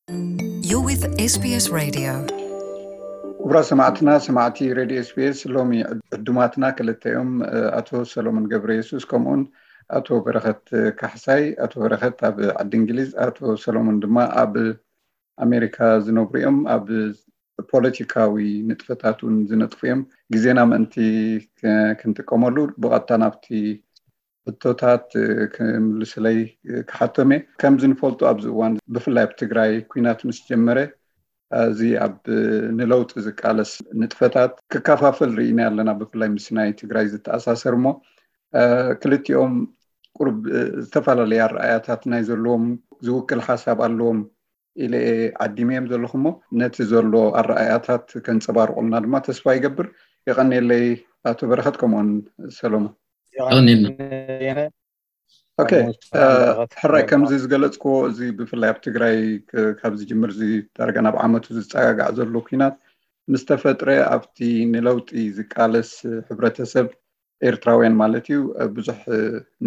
You're with S B S Radio. ክቡራት ሰማዕትና፣ ሰማዕቲ ሬድዮ ኤስቢኤስ፣ ሎሚ ዕዱማትና ክልተ እዮም። ኣቶ ሰሎሞን ገብረ የሱስ ከምኡውን ኣቶ በረኸት ካሕሳይ። ኣቶ በረኸት ኣብ ዓዲ እንግሊዝ፣ ኣቶ ሰሎሞን ድማ ኣብ ኣሜሪካ ዝነብሩ እዮም። ኣብ ፖለቲካዊ ንጥፈታት እውን ዝነጥፉ እዮም። ግዜና ምእንቲ ክንጥቀመሉ ብቐጥታ ናብቲ ሕቶታት ክምልስለይ ክሓቶም እየ። ከምዚ ንፈልጦ ኣብዚ እዋን ብፍላይ ኣብ ትግራይ ኩናት ምስ ጀመረ፣ እዚ ኣብ ንለውጢ ዝቃለስ ንጥፈታት ክከፋፈል ርኢና ኣለና። ብፍላይ ምስ ናይ ትግራይ ዝተኣሳሰር እሞ ክልቲኦም ቁሩብ ዝተፈላለየ ኣረኣያታት ናይ ዘለዎም፣ ዝውክል ሓሳብ ኣለዎም ኢለ ዓዲመዮም ዘለኹ እሞ ነቲ ዘሎ ኣረኣያታት ከንፀባርቑልና ድማ ተስፋ ይገብር። የቐንየለይ ኣቶ በረኸት ከምኡውን ሰሎሞን። የቐንየልና። ኦኬ፣ ሕራይ ከምዚ ዝገለፅክዎ፣ እዚ ብፍላይ ኣብ ትግራይ ካብ ዝጅምር እዚ ዳርጋ ናብ ዓመቱ ዝፀጋጋዕ ዘሎ ኩናት ምስ ተፈጥረ ኣብቲ ንለውጢ ዝቃለስ ሕብረተሰብ ኤርትራውያን ማለት እዩ ብዙሕ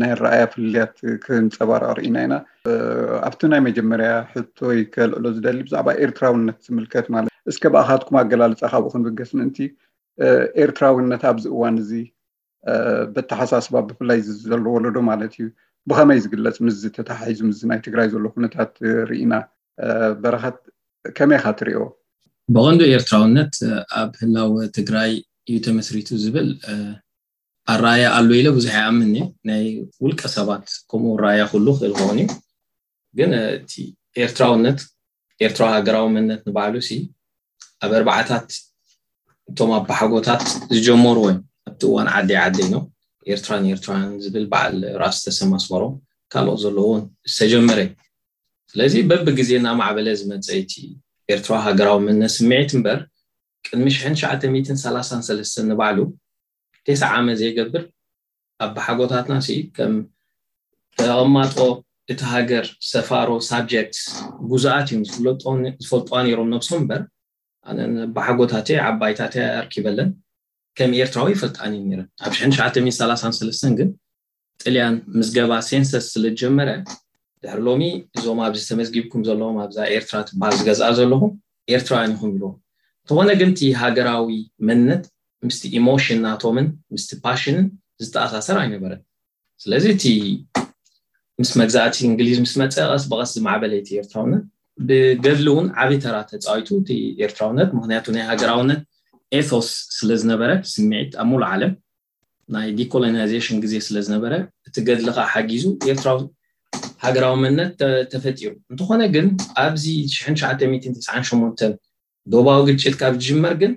ናይ ረኣያ ፍልልያት ክንፀባረቕ ርኢና ኢና። ኣብቲ ናይ መጀመርያ ሕቶይ ከልዕሎ ዝደሊ ብዛዕባ ኤርትራውነት ዝምልከት ማለት እስከ ብኣኻትኩም ኣገላልፃ ካብኡ ክንብገስ ምእንቲ ኤርትራውነት ኣብዚ እዋን እዚ በተሓሳስባ ብፍላይ ዘሎ ወለዶ ማለት እዩ ብኸመይ ዝግለፅ ምስዚ ተተሓሒዙ ምስዚ ናይ ትግራይ ዘሎ ኩነታት ርኢና በረኸት ከመይ ኢኻ ትሪኦ? ብቐንዱ ኤርትራውነት ኣብ ህላወ ትግራይ እዩ ተመስሪቱ ዝብል ኣረኣያ ኣሎ ኢለ ብዙሕ ይኣምን እየ። ናይ ውልቀ ሰባት ከምኡ ረኣያ ክህሉ ክእል ክኸውን እዩ። ግን እቲ ኤርትራውነት፣ ኤርትራዊ ሃገራዊ መንነት ንባዕሉ ሲ ኣብ ኣርባዓታት እቶም ኣባሓጎታት ዝጀመርዎ እዮም። ኣብቲ እዋን ዓደይ ዓደይ ነው ኤርትራን ኤርትራውያን ዝብል በዓል ራስ ተሰማ ኣስመሮም ካልኦት ዘለዎን ዝተጀመረ እዩ። ስለዚ በብግዜ እናማዕበለ ዝመፀ እቲ ኤርትራዊ ሃገራዊ መንነት ስምዒት እምበር ቅድሚ ሽሕን ትሽዓተ ሚእትን ሰላሳን ሰለስተን ንባዕሉ ቴስዓ ዓመት ዘይገብር ኣባሓጎታትና ሲ ከም ተቐማጦ እቲ ሃገር ሰፋሮ ሳብጀክት ጉዙኣት እዮም ዝፍለጦ ዝፈልጥዋ ነይሮም ነብሶም እምበር ኣነ ኣባሓጎታተይ ዓባይታተይ ኣርኪበለን ከም ኤርትራዊ ይፈልጣን እዩ ነይረን። ኣብ ሽሕን ትሽዓተ ሚእትን ሰላሳን ሰለስተን ግን ጥልያን ምዝገባ ሴንሰስ ስለ ዝጀመረ ድሕሪ ሎሚ እዞም ኣብዚ ተመዝጊብኩም ዘለዎም ኣብዛ ኤርትራ ትበሃል ዝገዝኣ ዘለኹም ኤርትራውያን ኢኹም ይብልዎም። እንተኾነ ግን እቲ ሃገራዊ መንነት ምስቲ ኢሞሽን ናቶምን ምስቲ ፓሽንን ዝተኣሳሰር ኣይነበረን። ስለዚ እቲ ምስ መግዛእቲ እንግሊዝ ምስ መፀ ቀስ ብቐስ ዝማዕበለ እቲ ኤርትራውነት ብገድሊ እውን ዓብዪ ተራ ተፃዊቱ እቲ ኤርትራውነት። ምክንያቱ ናይ ሃገራውነት ኤቶስ ስለ ዝነበረ ስምዒት ኣብ ሙሉእ ዓለም ናይ ዲኮሎናይዜሽን ግዜ ስለ ዝነበረ እቲ ገድሊ ከዓ ሓጊዙ ኤርትራዊ ሃገራዊ መንነት ተፈጢሩ። እንተኾነ ግን ኣብዚ ሽሕን ትሽዓተ ሚእትን ተስዓን ሸሞንተን ዶባዊ ግጭት ካብ ዝጅመር ግን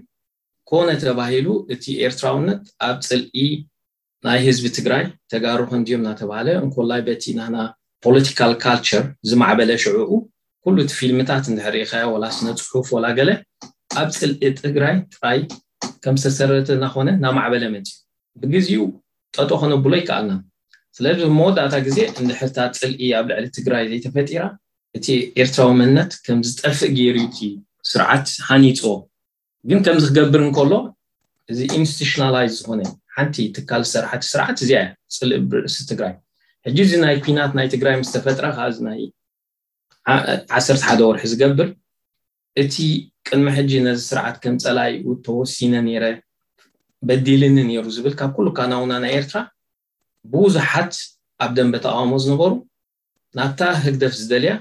ኮነ ተባሂሉ እቲ ኤርትራውነት ኣብ ፅልኢ ናይ ህዝቢ ትግራይ ተጋሩ ከምዚኦም እናተባሃለ እንኮላይ በቲ ናና ፖለቲካል ካልቸር ዝማዕበለ ሽዕኡ ኩሉ እቲ ፊልምታት እንድሕር ርኢኻዮ ወላ ስነ ፅሑፍ ወላ ገለ ኣብ ፅልኢ ትግራይ ጥራይ ከም ዝተሰረተ እናኾነ እናማዕበለ መፅዩ። ብግዚኡ ጠጦ ከነብሎ ይከኣልና። ስለዚ ብመወዳእታ ግዜ እንድሕርታ ፅልኢ ኣብ ልዕሊ ትግራይ ዘይተፈጢራ እቲ ኤርትራዊ መንነት ከም ዝጠፍእ ገይሩ እቲ ስርዓት ሃኒፅዎ። ግን ከምዚ ክገብር እንከሎ እዚ ኢንስቲቱሽናላይዝ ዝኾነ ሓንቲ ትካል ዝሰርሓት ስርዓት እዚኣ እያ። ፅልኢ ብርእሲ ትግራይ ሕጂ እዚ ናይ ኩናት ናይ ትግራይ ምስ ተፈጥረ ከዓ እዚ ናይ ዓሰርተ ሓደ ወርሒ ዝገብር እቲ ቅድሚ ሕጂ ነዚ ስርዓት ከም ፀላኢኡ ተወሲነ ነይረ በዲልኒ ነይሩ ዝብል ካብ ኩሉ ካናውና ናይ ኤርትራ ብዙሓት ኣብ ደንበ ተቃውሞ ዝነበሩ ናብታ ህግደፍ ዝደልያ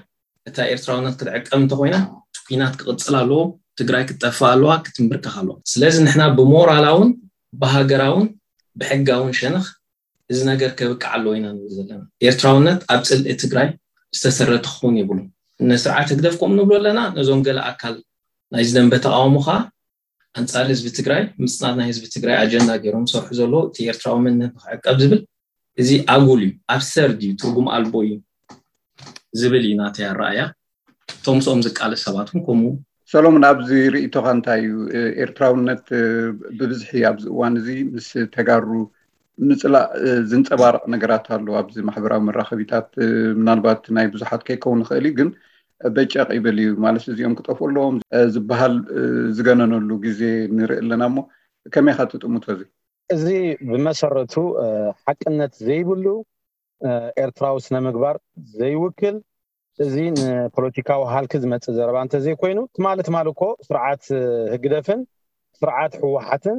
እታ ኤርትራውነት ክትዕቀብ እንተኮይና እቲ ኩናት ክቅፅል ኣለዎ፣ ትግራይ ክትጠፍእ ኣለዋ፣ ክትንብርከኽ ኣለዋ። ስለዚ ንሕና ብሞራላውን ብሃገራውን ብሕጋውን ሸነኽ እዚ ነገር ከብቅዕ ኣለዎ ኢና ንብል ዘለና። ኤርትራውነት ኣብ ፅልኢ ትግራይ ዝተሰረተ ክኸውን የብሉን። ንስርዓት ህግደፍ ከምኡ ንብሎ ኣለና፣ ነዞም ገለ ኣካል ናይ ዝደንበ ተቃውሞ ከዓ ኣንፃር ህዝቢ ትግራይ ምፅናት ናይ ህዝቢ ትግራይ ኣጀንዳ ገይሮም ዝሰርሑ ዘለዉ እቲ ኤርትራዊ መንነት ንክዕቀብ ዝብል እዚ ኣጉል እዩ፣ ኣብሰርድ እዩ፣ ትርጉም ኣልቦ እዩ ዝብል እዩ ናተይ ኣረኣያ። እቶም ምስኦም ዝቃለስ ሰባት እውን ከምኡ። ሰሎሞን፣ ኣብዚ ርእይቶኻ እንታይ እዩ? ኤርትራውነት ብብዝሒ ኣብዚ እዋን እዚ ምስ ተጋሩ ምፅላእ ዝንፀባረቕ ነገራት ኣሎ። ኣብዚ ማሕበራዊ መራኸቢታት ምናልባት ናይ ብዙሓት ከይከውን ይኽእል እዩ፣ ግን በጨቕ ይብል እዩ ማለት እዚኦም ክጠፍኡ ኣለዎም ዝበሃል ዝገነነሉ ግዜ ንርኢ ኣለና። እሞ ከመይ ኢኻ ትጥምቶ እዚ? እዚ ብመሰረቱ ሓቅነት ዘይብሉ ኤርትራዊ ስነ ምግባር ዘይውክል እዚ ንፖለቲካዊ ሃልኪ ዝመፅእ ዘረባ እንተዘይኮይኑ ትማሊ ትማሊ እኮ ስርዓት ህግደፍን ስርዓት ህወሓትን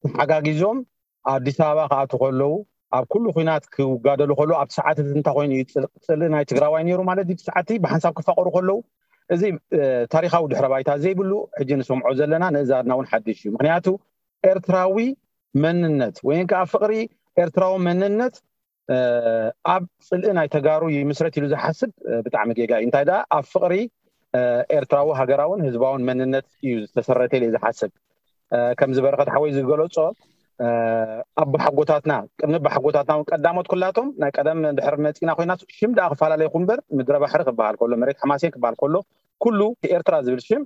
ተሓጋጊዞም ኣዲስ ኣበባ ክኣትዉ ከለዉ ኣብ ኩሉ ኩናት ክጋደሉ ከለዉ ኣብቲ ሰዓት እቲ እንታይ ኮይኑ እዩ ፅልኢ ናይ ትግራዋይ ነይሩ ማለት ድዩ? ሰዓቲ ብሓንሳብ ክፋቀሩ ከለዉ እዚ ታሪካዊ ድሕረ ባይታ ዘይብሉ ሕጂ ንሰምዖ ዘለና ንእዛድና እውን ሓድሽ እዩ። ምክንያቱ ኤርትራዊ መንነት ወይ ከዓ ፍቅሪ ኤርትራዊ መንነት ኣብ ፅልኢ ናይ ተጋሩ ይምስረት ኢሉ ዝሓስብ ብጣዕሚ ጌጋ እዩ። እንታይ ደኣ ኣብ ፍቅሪ ኤርትራዊ ሃገራውን ህዝባውን መንነት እዩ ዝተሰረተ ኢለ ዝሓስብ። ከምዚ በረኸት ሓወይ ዝገለጾ ኣቦሓጎታትና ቅድሚ ኣቦሓጎታትና እውን ቀዳሞት ኩላቶም ናይ ቀደም ድሕር መፂና ኮይና ሽም ደኣ ክፈላለ ይኹን በር ምድረ ባሕሪ ክበሃል ከሎ መሬት ሓማሴን ክበሃል ከሎ ኩሉ ኤርትራ ዝብል ሽም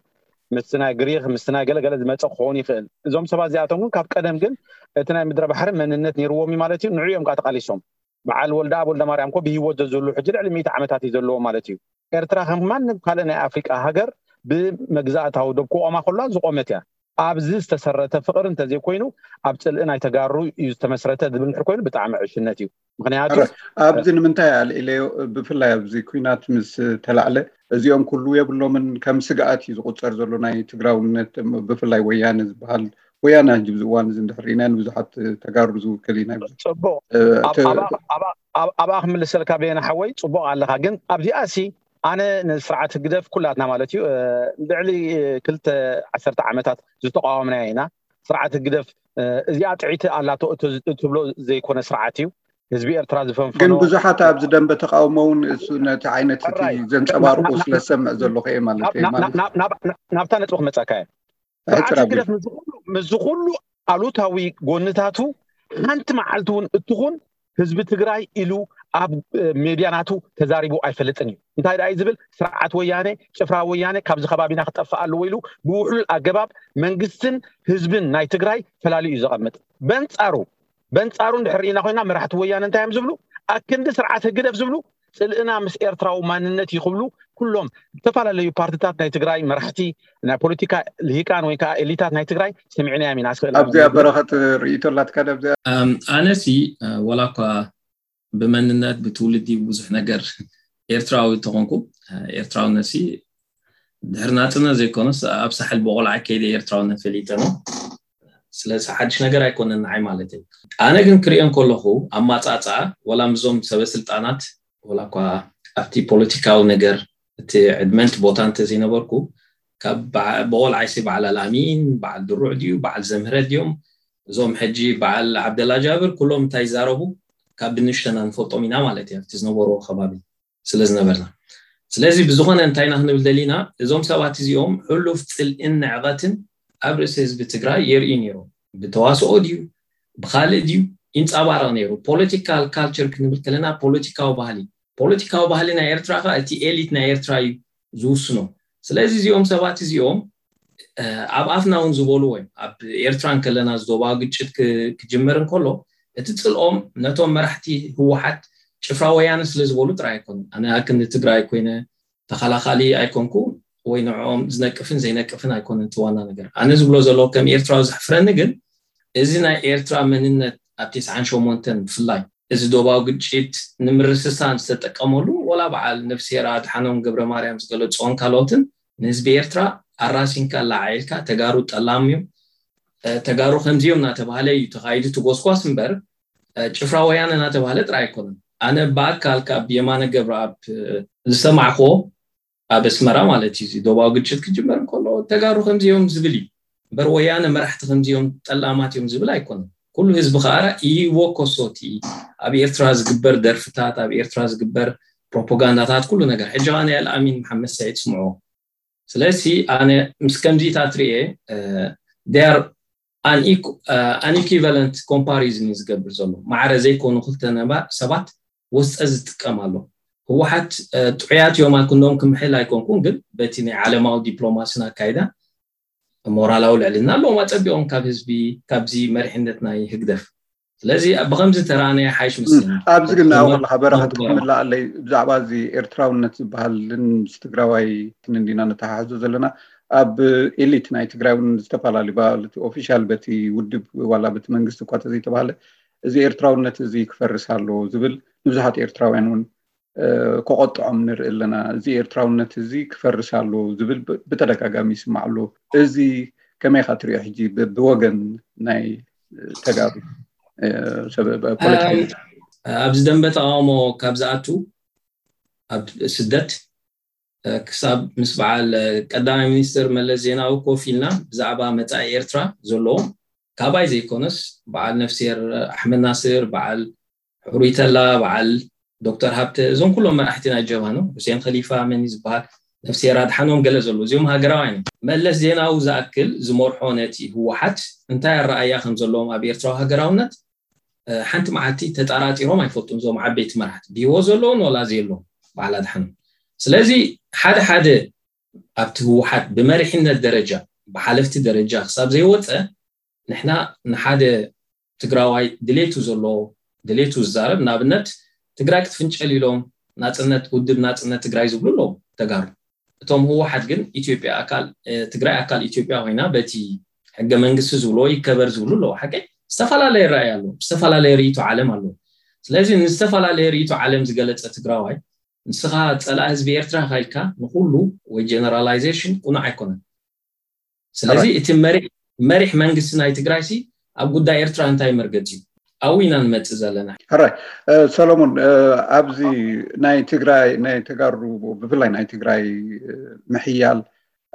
ምስቲ ናይ ግሪክ ምስቲ ናይ ገለገለ ዝመፀ ክኸውን ይኽእል። እዞም ሰባት እዚኣቶም ግን ካብ ቀደም ግን እቲ ናይ ምድረ ባሕሪ መንነት ነይርዎም እዩ ማለት እዩ። ንዕኡ እዮም ከዓ ተቃሊሶም። በዓል ወልደኣብ ወልደማርያም እኮ ብህይወት ዘዘሉ ሕጂ ልዕሊ ሚእቲ ዓመታት እዩ ዘለዎ ማለት እዩ። ኤርትራ ከም ማንም ካልእ ናይ ኣፍሪቃ ሃገር ብመግዛእታዊ ዶብ ክቆማ ከላ ዝቆመት እያ። ኣብዚ ዝተሰረተ ፍቅሪ እንተዘይኮይኑ ኣብ ፅልኢ ናይ ተጋሩ እዩ ዝተመስረተ ዝብል እንድሕር ኮይኑ ብጣዕሚ ዕሽነት እዩ። ምክንያቱ ኣብዚ ንምንታይ ኣልዒለዮ? ብፍላይ ኣብዚ ኩናት ምስ ተላዕለ እዚኦም ኩሉ የብሎምን፣ ከም ስግኣት እዩ ዝቁፀር ዘሎ ናይ ትግራውነት፣ ብፍላይ ወያነ ዝበሃል። ወያነ ሕጂ ብዚ እዋን እዚ እንድሕር ርኢና ንብዙሓት ተጋሩ ዝውክል እዩ። ናይ ብዙ- ፅቡቅ ኣባኣ ክምልሰልካ በየነ ሓወይ ፅቡቅ ኣለካ። ግን ኣብዚኣ ሲ ኣነ ንስርዓት ህግደፍ ኩላትና ማለት እዩ ልዕሊ ክልተ ዓሰርተ ዓመታት ዝተቃወምናያ ኢና። ስርዓት ህግደፍ እዚኣ ጥዕይቲ ኣላቶ እትብሎ ዘይኮነ ስርዓት እዩ። ህዝቢ ኤርትራ ዝፈንፈኖ ግን ብዙሓት ኣብዚ ደንበ ተቃውሞ እውን እሱ ነቲ ዓይነት እቲ ዘንጸባርቁ ስለ ዝሰምዕ ዘለኹ እየ ማለት እየ። ናብታ ነጥቢ ክመፀካ እየ። ስርዓት ህግደፍ ምስዚ ኩሉ ኣሉታዊ ጎንታቱ ሓንቲ መዓልቲ እውን እትኹን ህዝቢ ትግራይ ኢሉ ኣብ ሜድያ ናቱ ተዛሪቡ ኣይፈልጥን እዩ። እንታይ ደኣ እዩ ዝብል? ስርዓት ወያነ፣ ጭፍራ ወያነ ካብዚ ከባቢና ክጠፍእ ኣለዎ ኢሉ ብውሕሉል ኣገባብ መንግስትን ህዝብን ናይ ትግራይ ፈላልዩ እዩ ዘቐምጥ። በንጻሩ በንጻሩ እንድሕር ርኢና ኮይና መራሕቲ ወያነ እንታይ እዮም ዝብሉ? ኣክንዲ ስርዓት ህግደፍ ዝብሉ ፅልእና ምስ ኤርትራዊ ማንነት እዩ ክብሉ ኩሎም ዝተፈላለዩ ፓርትታት ናይ ትግራይ መራሕቲ ናይ ፖለቲካ ልሂቃን ወይ ከዓ ኤሊታት ናይ ትግራይ ሰሚዕናዮም ኢና። እስከ ኣብዚኣ በረኸት ርእይቶ ኣላትካ ዶ ኣብዚኣ? ኣነሲ ወላ እኳ ብመንነት ብትውልዲ ብዙሕ ነገር ኤርትራዊ እንተኾንኩ ኤርትራውነትሲ ድሕሪ ናፅነት ዘይኮነስ ኣብ ሳሕል ብቆልዓ ከይደ ኤርትራውነት ፈሊጠ ነው። ስለዚ ሓድሽ ነገር ኣይኮነን ንዓይ ማለት እዩ። ኣነ ግን ክሪኦ ከለኹ ኣማፃፅኣ ወላ ምዞም ሰበስልጣናት ወላ እኳ ኣብቲ ፖለቲካዊ ነገር እቲ ዕድመን እቲ ቦታ እንተዘይነበርኩ ካብ ብቆልዓይሲ በዓል ኣልኣሚን በዓል ድሩዕ ድዩ በዓል ዘምህረ ድዮም እዞም ሕጂ በዓል ዓብደላ ጃብር ኩሎም እንታይ ይዛረቡ ካብ ብንሽተና ንፈልጦም ኢና ማለት እዩ ኣብቲ ዝነበርዎ ከባቢ ስለ ዝነበርና። ስለዚ ብዝኾነ እንታይ ኢና ክንብል ደሊና እዞም ሰባት እዚኦም ሕሉፍ ፅልኢን ንዕቐትን ኣብ ርእሲ ህዝቢ ትግራይ የርእዩ ነይሮም። ብተዋስኦ ድዩ ብካልእ ድዩ ይንፀባረቕ ነይሩ። ፖለቲካል ካልቸር ክንብል ከለና ፖለቲካዊ ባህሊ ፖለቲካዊ ባህሊ ናይ ኤርትራ ከዓ እቲ ኤሊት ናይ ኤርትራ እዩ ዝውስኖ። ስለዚ እዚኦም ሰባት እዚኦም ኣብ ኣፍና እውን ዝበልዎ እዮም። ኣብ ኤርትራ እንከለና ዝዶባዊ ግጭት ክጅምር እንከሎ እቲ ፅልኦም ነቶም መራሕቲ ህወሓት ጭፍራ ወያነ ስለ ዝበሉ ጥራይ ኣይኮኑን። ኣነ ኣክንዲ ትግራይ ኮይነ ተኸላኻሊ ኣይኮንኩ ወይ ንዕኦም ዝነቅፍን ዘይነቅፍን ኣይኮነን እቲ ዋና ነገር። ኣነ ዝብሎ ዘለኹ ከም ኤርትራዊ ዘሕፍረኒ ግን እዚ ናይ ኤርትራ መንነት ኣብ ተስዓን ሸሞንተን ብፍላይ እዚ ዶባዊ ግጭት ንምርስሳን ዝተጠቀመሉ ወላ በዓል ነፍስሄር ኣድሓኖም ገብረማርያም ዝገለፅኦን ካልኦትን ንህዝቢ ኤርትራ ኣራሲንካ ኣላዓዒልካ ተጋሩ ጠላም እዮም ተጋሩ ከምዚኦም እናተባሃለ እዩ ተኻይዱ እቲ ጎስጓስ እምበር ጭፍራ ወያነ እናተባሃለ ጥራይ ኣይኮነን። ኣነ ብኣካል ካብ የማነ ገብረኣብ ዝሰማዕክዎ ኣብ ኣስመራ ማለት እዩ ዶባዊ ግጭት ክጅመር እንከሎ ተጋሩ ከምዚኦም ዝብል እዩ እምበር ወያነ መራሕቲ ከምዚኦም ጠላማት እዮም ዝብል ኣይኮነን። ኩሉ ህዝቢ ከዓ ይወኮሶ እቲ ኣብ ኤርትራ ዝግበር ደርፍታት ኣብ ኤርትራ ዝግበር ፕሮፓጋንዳታት ኩሉ ነገር ሕጂ ከዓ ናይ ኣልኣሚን መሓመድ ሰዒድ ስምዖ ስለዚ ኣነ ምስ ከምዚታት ርኤ ር ኣን ኢኩቫለንት ኮምፓሪዝን እዩ ዝገብር ዘሎ። ማዕረ ዘይኮኑ ክልተ ሰባት ወስጠ ዝጥቀም ኣሎ። ህወሓት ጥዑያት እዮም ኣይኩኖም ክምሕል ኣይኮንኩን፣ ግን በቲ ናይ ዓለማዊ ዲፕሎማስን ኣካይዳ ሞራላዊ ልዕልና ኣለዎም። ኣፀቢቖም ካብ ህዝቢ ካብዚ መሪሕነት ናይ ህግደፍ ስለዚ ብከምዚ ተራእናዮ ሓይሽ መስለኒ። ኣብዚ ግን ኣብኡ ከለካ በረኸት ክምልኣለይ ብዛዕባ እዚ ኤርትራውነት ዝበሃልን ምስ ትግራዋይ ክንዲና ነተሓሕዞ ዘለና ኣብ ኤሊት ናይ ትግራይ እውን ዝተፈላለዩ በዓል እቲ ኦፊሻል በቲ ውድብ ዋላ በቲ መንግስቲ እኳ ተዘይተባሃለ እዚ ኤርትራውነት እዚ ክፈርስ ኣለዎ ዝብል ንብዙሓት ኤርትራውያን እውን ክቆጥዖም ንርኢ ኣለና። እዚ ኤርትራውነት እዚ ክፈርስ ኣሎ ዝብል ብተደጋጋሚ ይስማዕ ኣሎ። እዚ ከመይ ኢኻ ትሪኦ? ሕጂ ብወገን ናይ ተጋሩ ፖለቲካ ኣብዚ ደንበ ተቃውሞ ካብ ዝኣቱ ኣብ ስደት ክሳብ ምስ በዓል ቀዳማይ ሚኒስትር መለስ ዜናዊ ኮፍ ኢልና ብዛዕባ መጻኢ ኤርትራ ዘለዎም ካባይ ዘይኮነስ በዓል ነፍስሄር ኣሕመድ ናስር፣ በዓል ሕሩይ ተላ፣ በዓል ዶክተር ሃብተ፣ እዞም ኩሎም መራሕቲ ናይ ጀብሃ ነው። ሁሴን ከሊፋ መን ዝበሃል፣ ነፍስሄር ኣድሓኖም ገለ ዘሎ እዚኦም ሃገራውያን እዮም። መለስ ዜናዊ ዝኣክል ዝመርሖ ነቲ ህወሓት እንታይ ኣረኣያ ከም ዘለዎም ኣብ ኤርትራዊ ሃገራውነት ሓንቲ መዓልቲ ተጠራጢሮም ኣይፈልጡን። እዞም ዓበይቲ መራሕቲ ብህይወት ዘለውን ወላ ዘየለውን በዓል ኣድሓኖም። ስለዚ ሓደ ሓደ ኣብቲ ህወሓት ብመሪሕነት ደረጃ ብሓለፍቲ ደረጃ ክሳብ ዘይወፀ ንሕና ንሓደ ትግራዋይ ድሌቱ ዘሎ ድሌቱ ዝዛረብ ንኣብነት ትግራይ ክትፍንጨል ኢሎም ናፅነት ውድብ ናፅነት ትግራይ ዝብሉ ኣለዉ ተጋሩ። እቶም ህወሓት ግን ኢትዮጵያ ኣካል ትግራይ ኣካል ኢትዮጵያ ኮይና በቲ ሕገ መንግስቲ ዝብሎ ይከበር ዝብሉ ኣለዉ። ሓቂ ዝተፈላለየ ራእይ ኣሎ፣ ዝተፈላለየ ርእይቶ ዓለም ኣሎ። ስለዚ ንዝተፈላለየ ርእይቶ ዓለም ዝገለፀ ትግራዋይ ንስኻ ፀላእ ህዝቢ ኤርትራ ካይልካ ንኩሉ ወይ ጀነራላይዜሽን ቁኑዕ ኣይኮነን። ስለዚ እቲ መሪሕ መንግስቲ ናይ ትግራይ ሲ ኣብ ጉዳይ ኤርትራ እንታይ መርገፂ እዩ ኣብኡ ኢና ንመፅእ ዘለና። ሕራይ ሰሎሞን፣ ኣብዚ ናይ ትግራይ ናይ ተጋሩ ብፍላይ ናይ ትግራይ ምሕያል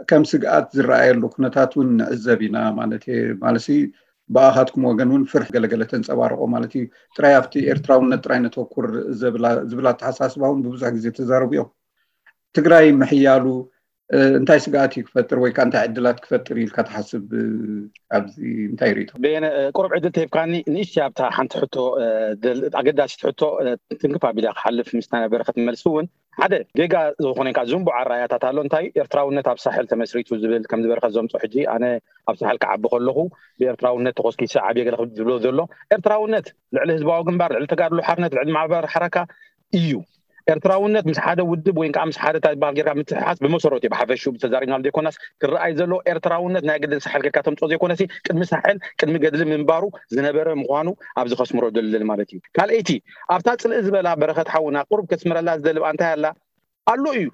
ከም ስግኣት ዝረኣየሉ ኩነታት እውን ንዕዘብ ኢና ማለት ማለት ብኣኻትኩም ወገን እውን ፍርሒ ገለገለ ተንፀባርቆ ማለት እዩ። ጥራይ ኣብቲ ኤርትራውነት ጥራይ ነተኩር ዝብል ኣተሓሳስባ እውን ብብዙሕ ግዜ ተዛረቡ እዮም። ትግራይ ምሕያሉ እንታይ ስግኣት እዩ ክፈጥር ወይ ከዓ እንታይ ዕድላት ክፈጥር ኢልካ ትሓስብ? ኣብዚ እንታይ ርእቶ? በየነ፣ ቁሩብ ዕድል ተሂብካኒ ንእሽተይ ኣብታ ሓንቲ ሕቶ፣ ኣገዳሲት ሕቶ ትንክፍ ኣቢላ ክሓልፍ ምስታ ናይ በረኸት መልሲ እውን ሓደ ጌጋ ዝኾነ ካብ ዝንቡዕ ኣረኣያታት ኣሎ። እንታይ ኤርትራውነት ኣብ ሳሕል ተመስሪቱ ዝብል ከም ዝበረኸት ዘምጾ ሕጂ ኣነ ኣብ ሳሕል ክዓቢ ከለኹ ብኤርትራውነት ተኾስኪሰ ዓብየ ገለ ዝብሎ ዘሎ ኤርትራውነት ልዕሊ ህዝባዊ ግንባር፣ ልዕሊ ተጋድሎ ሓርነት፣ ልዕሊ ማሕበር ሓረካ እዩ። ኤርትራውነት ምስ ሓደ ውድብ ወይ ከዓ ምስ ሓደ እንታይ ዝበሃል ጌርካ ምትሕሓዝ ብመሰረቱ እዩ ብሓፈሽኡ ብተዛሪብናሉ ዘይኮነስ ክረኣይ ዘለዎ ኤርትራውነት ናይ ግድን ሳሕል ጌርካ ተምፅኦ ዘይኮነሲ ቅድሚ ሳሕል ቅድሚ ገድሊ ምንባሩ ዝነበረ ምዃኑ ኣብዚ ከስምሮ ደልል ማለት እዩ። ካልኣይቲ ኣብታ ፅልኢ ዝበላ በረኸት ሓውና ቁሩብ ከስምረላ ዝደልብ ኣንታይ ኣላ ኣሎ እዩ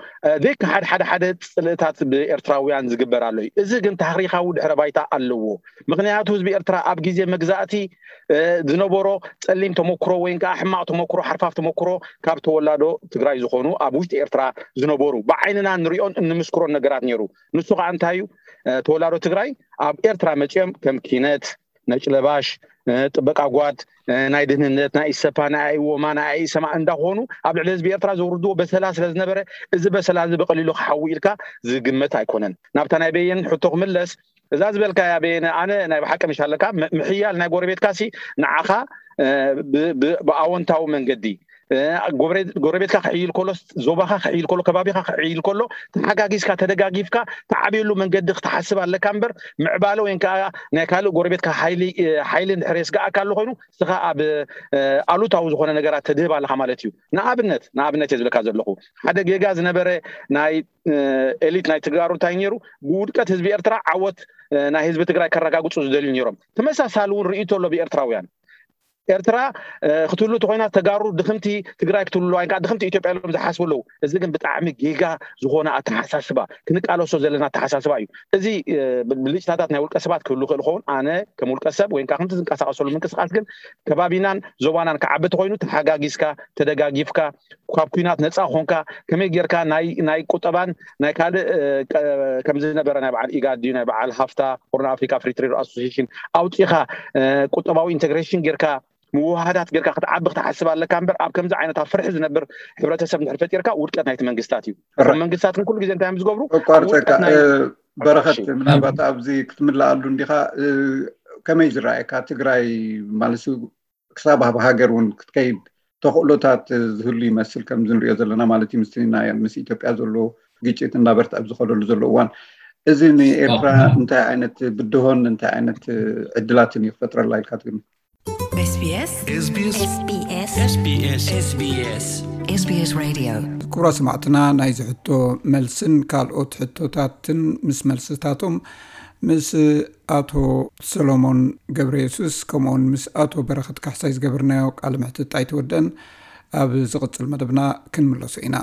ዘይከሓድ ሓደ ሓደ ፅልእታት ብኤርትራውያን ዝግበር ኣሎ እዩ። እዚ ግን ታሪኻዊ ድሕረ ባይታ ኣለዎ። ምክንያቱ ህዝቢ ኤርትራ ኣብ ግዜ መግዛእቲ ዝነበሮ ፀሊም ተመክሮ ወይ ከዓ ሕማቕ ተመክሮ ሓርፋፍ ተመክሮ ካብ ተወላዶ ትግራይ ዝኾኑ ኣብ ውሽጢ ኤርትራ ዝነበሩ ብዓይንና ንሪኦን እንምስክሮን ነገራት ነይሩ። ንሱ ከዓ እንታይ እዩ? ተወላዶ ትግራይ ኣብ ኤርትራ መፂኦም ከም ኪነት፣ ነጭ ለባሽ፣ ጥበቃ ጓድ፣ ናይ ድህንነት፣ ናይ ኢሰፓ፣ ናይ ኣይወማ፣ ናይ ኣይሰማ እንዳኾኑ ኣብ ልዕሊ ህዝቢ ኤርትራ ዘውርድዎ በሰላ ስለዝነበረ እዚ በሰላ እዚ ብቐሊሉ ክሓዊ ኢልካ ዝግመት ኣይኮነን። ናብታ ናይ በየን ሕቶ ክምለስ እዛ ዝበልካያ በየነ ኣነ ናይ ብሓቂ ምሽ ኣለካ ምሕያል ናይ ጎረቤትካ ሲ ንዓኻ ብኣወንታዊ መንገዲ ጎረቤትካ ክሕይል ከሎ ዞባኻ ክሕይል ከሎ ከባቢኻ ክሕይል ከሎ ተሓጋጊዝካ ተደጋጊፍካ ትዓብየሉ መንገዲ ክትሓስብ ኣለካ እምበር ምዕባለ ወይ ከዓ ናይ ካልእ ጎረቤትካ ሓይሊ እንድሕር የስግኣካ ኣሎ ኮይኑ ንስኻ ኣብ ኣሉታዊ ዝኾነ ነገራት ተድህብ ኣለኻ ማለት እዩ። ንኣብነት ንኣብነት እየ ዝብለካ ዘለኹ ሓደ ጌጋ ዝነበረ ናይ ኤሊት ናይ ትግራሩ እንታይ ነይሩ ብውድቀት ህዝቢ ኤርትራ ዓወት ናይ ህዝቢ ትግራይ ከረጋግፁ ዝደልዩ ነይሮም። ተመሳሳሊ እውን ርእይቶ ኣሎ ብኤርትራውያን ኤርትራ ክትህሉ ተኮይና ተጋሩ ድክምቲ ትግራይ ክትህሉ ወይ ከዓ ድክምቲ ኢትዮጵያ ኢሎም ዝሓስቡ ኣለዉ። እዚ ግን ብጣዕሚ ጌጋ ዝኾነ ኣተሓሳስባ ክንቃለሶ ዘለና ኣተሓሳስባ እዩ። እዚ ብልጭታታት ናይ ውልቀ ሰባት ክህሉ ክእል ኸውን ኣነ ከም ውልቀ ሰብ ወይ ከዓ ከምቲ ዝንቀሳቀሰሉ ምንቅስቃስ ግን ከባቢናን ዞባናን ክዓቢ ተኮይኑ ተሓጋጊዝካ ተደጋጊፍካ ካብ ኩናት ነፃ ኮንካ ከመይ ጌርካ ናይ ቁጠባን ናይ ካልእ ከምዝነበረ ናይ በዓል ኢጋድ ድዩ ናይ በዓል ሃፍታ ሆርን ኣፍሪካ ፍሪ ትሬድ ኣሶሲሽን ኣውፂኻ ቁጠባዊ ኢንቴግሬሽን ጌርካ ምውሃዳት ጌርካ ክትዓቢ ክትሓስብ ኣለካ እምበር ኣብ ከምዚ ዓይነት ኣብ ፍርሒ ዝነብር ሕብረተሰብ እንድሕር ፈጢርካ ውድቀት ናይቲ መንግስታት እዩ። እቶም መንግስታት ግን ኩሉ ግዜ እንታይ እዮም ዝገብሩ? ኣቋርፀካ በረኸት ምናልባት ኣብዚ ክትምልኣሉ እንዲኻ ከመይ ዝረኣየካ ትግራይ ማለት ክሳብ ኣብ ሃገር እውን ክትከይድ ተኽእሎታት ዝህሉ ይመስል ከምዚ ንሪኦ ዘለና ማለት እዩ። ምስ ኢትዮጵያ ዘሎ ግጭት እናበርትዐ ኣብ ዝኸደሉ ዘሎ እዋን እዚ ንኤርትራ እንታይ ዓይነት ብድሆን እንታይ ዓይነት ዕድላትን እዩ ክፈጥረላ ኢልካ ትግምት? SBS SBS SBS SBS SBS Radio ክቡራት ሰማዕትና ናይዚ ሕቶ መልስን ካልኦት ሕቶታትን ምስ መልስታቶም ምስ ኣቶ ሰሎሞን ገብረ የሱስ ከምኡውን ምስ ኣቶ በረኸት ካሕሳይ ዝገበርናዮ ቃለ መሕትት ኣይተወደአን። ኣብ ዝቕጽል መደብና ክንምለሶ ኢና።